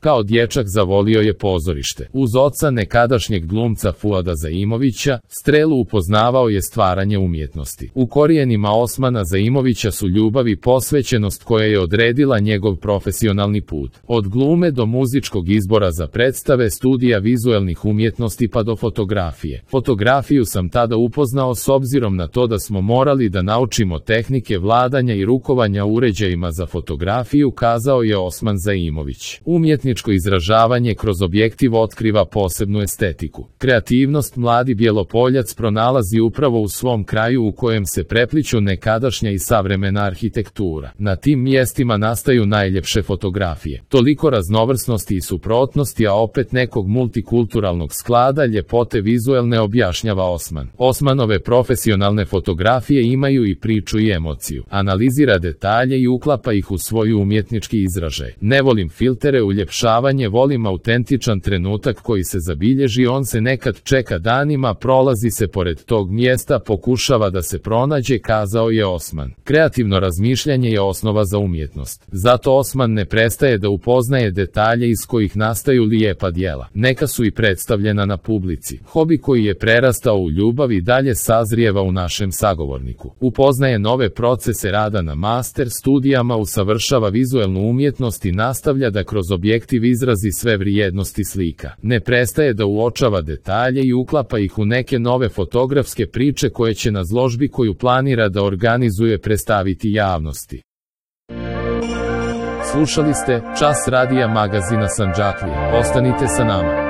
Kao dječak zavolio je pozorište. Uz oca nekadašnjeg glumca Fuada Zaimovića, Strelu upoznavao je stvaranje umjetnosti. U korijenima Osmana Zaimovića su ljubav i posvećenost koja je odredila njegov profesionalni put. Od glume do muzičkog izbora za predstave, studija vizuelnih umjetnosti pa do fotografije. Fotografiju sam tada upoznao s obzirom na to da smo morali da naučimo tehnike vladanja i rukovanja uređajima za fotografiju, kazao je Osman Zaimović. Umjetničko izražavanje kroz objektiv otkriva posebnu estetiku. Kreativnost mladi Bjelopoljac pronalazi upravo u svom kraju u kojem se prepliću nekadašnja i savremena arhitektura. Na tim mjestima nastaju najljepše fotografije. Toliko raznovrsnosti i suprotnosti, a opet nekog multikulturalnog sklada ljepote vizuelne, objašnjava Osman. Osmanove profesionalne fotografije imaju i priču i emociju. Analizira detalje i uklapa ih u svoj umjetnički izražaj. Ne volim filtere, uljepšavanje, volim autentičan trenutak koji se zabilježi, on se nekad čeka danima, prolazi se pored tog mjesta, pokušava da se pronađe, kazao je Osman. Kreativno razmišljanje je osnova za umjetnost. Zato Osman ne prestaje da upoznaje detalje iz kojih nastaju lijepa djela. Neka su i predstavljena na publici. Hobi koji je prerastao u ljubav i dalje sazrijeva u našem sagovorniku. Upoznaje nove procese rada na master studijama, usavršava vizuelnu umjetnost i nastavlja da kroz objektiv izrazi sve vrijednosti slika. Ne prestaje da uočava detalje i uklapa ih u neke nove fotografske priče koje će na izložbi koju planira da organizuje predstaviti javnosti. Slušali ste Čas radija magazina Sandžaklije. Ostanite sa nama.